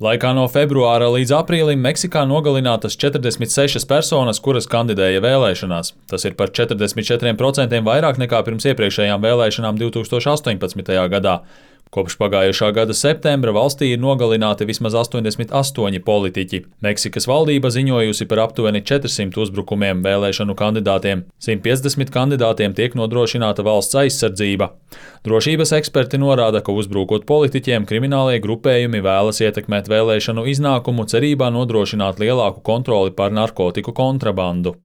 Laikā no februāra līdz aprīlim Meksikā nogalinātas 46 personas, kuras kandidēja vēlēšanās. Tas ir par 44% vairāk nekā pirms iepriekšējām vēlēšanām 2018. gadā. Kopš pagājušā gada septembra valstī ir nogalināti vismaz 88 politiķi. Meksikas valdība ziņojusi par aptuveni 400 uzbrukumiem vēlēšanu kandidātiem. 150 kandidātiem tiek nodrošināta valsts aizsardzība. Drošības eksperti norāda, ka uzbrukot politiķiem, kriminālie grupējumi vēlas ietekmēt vēlēšanu iznākumu cerībā nodrošināt lielāku kontroli pār narkotiku kontrabandu.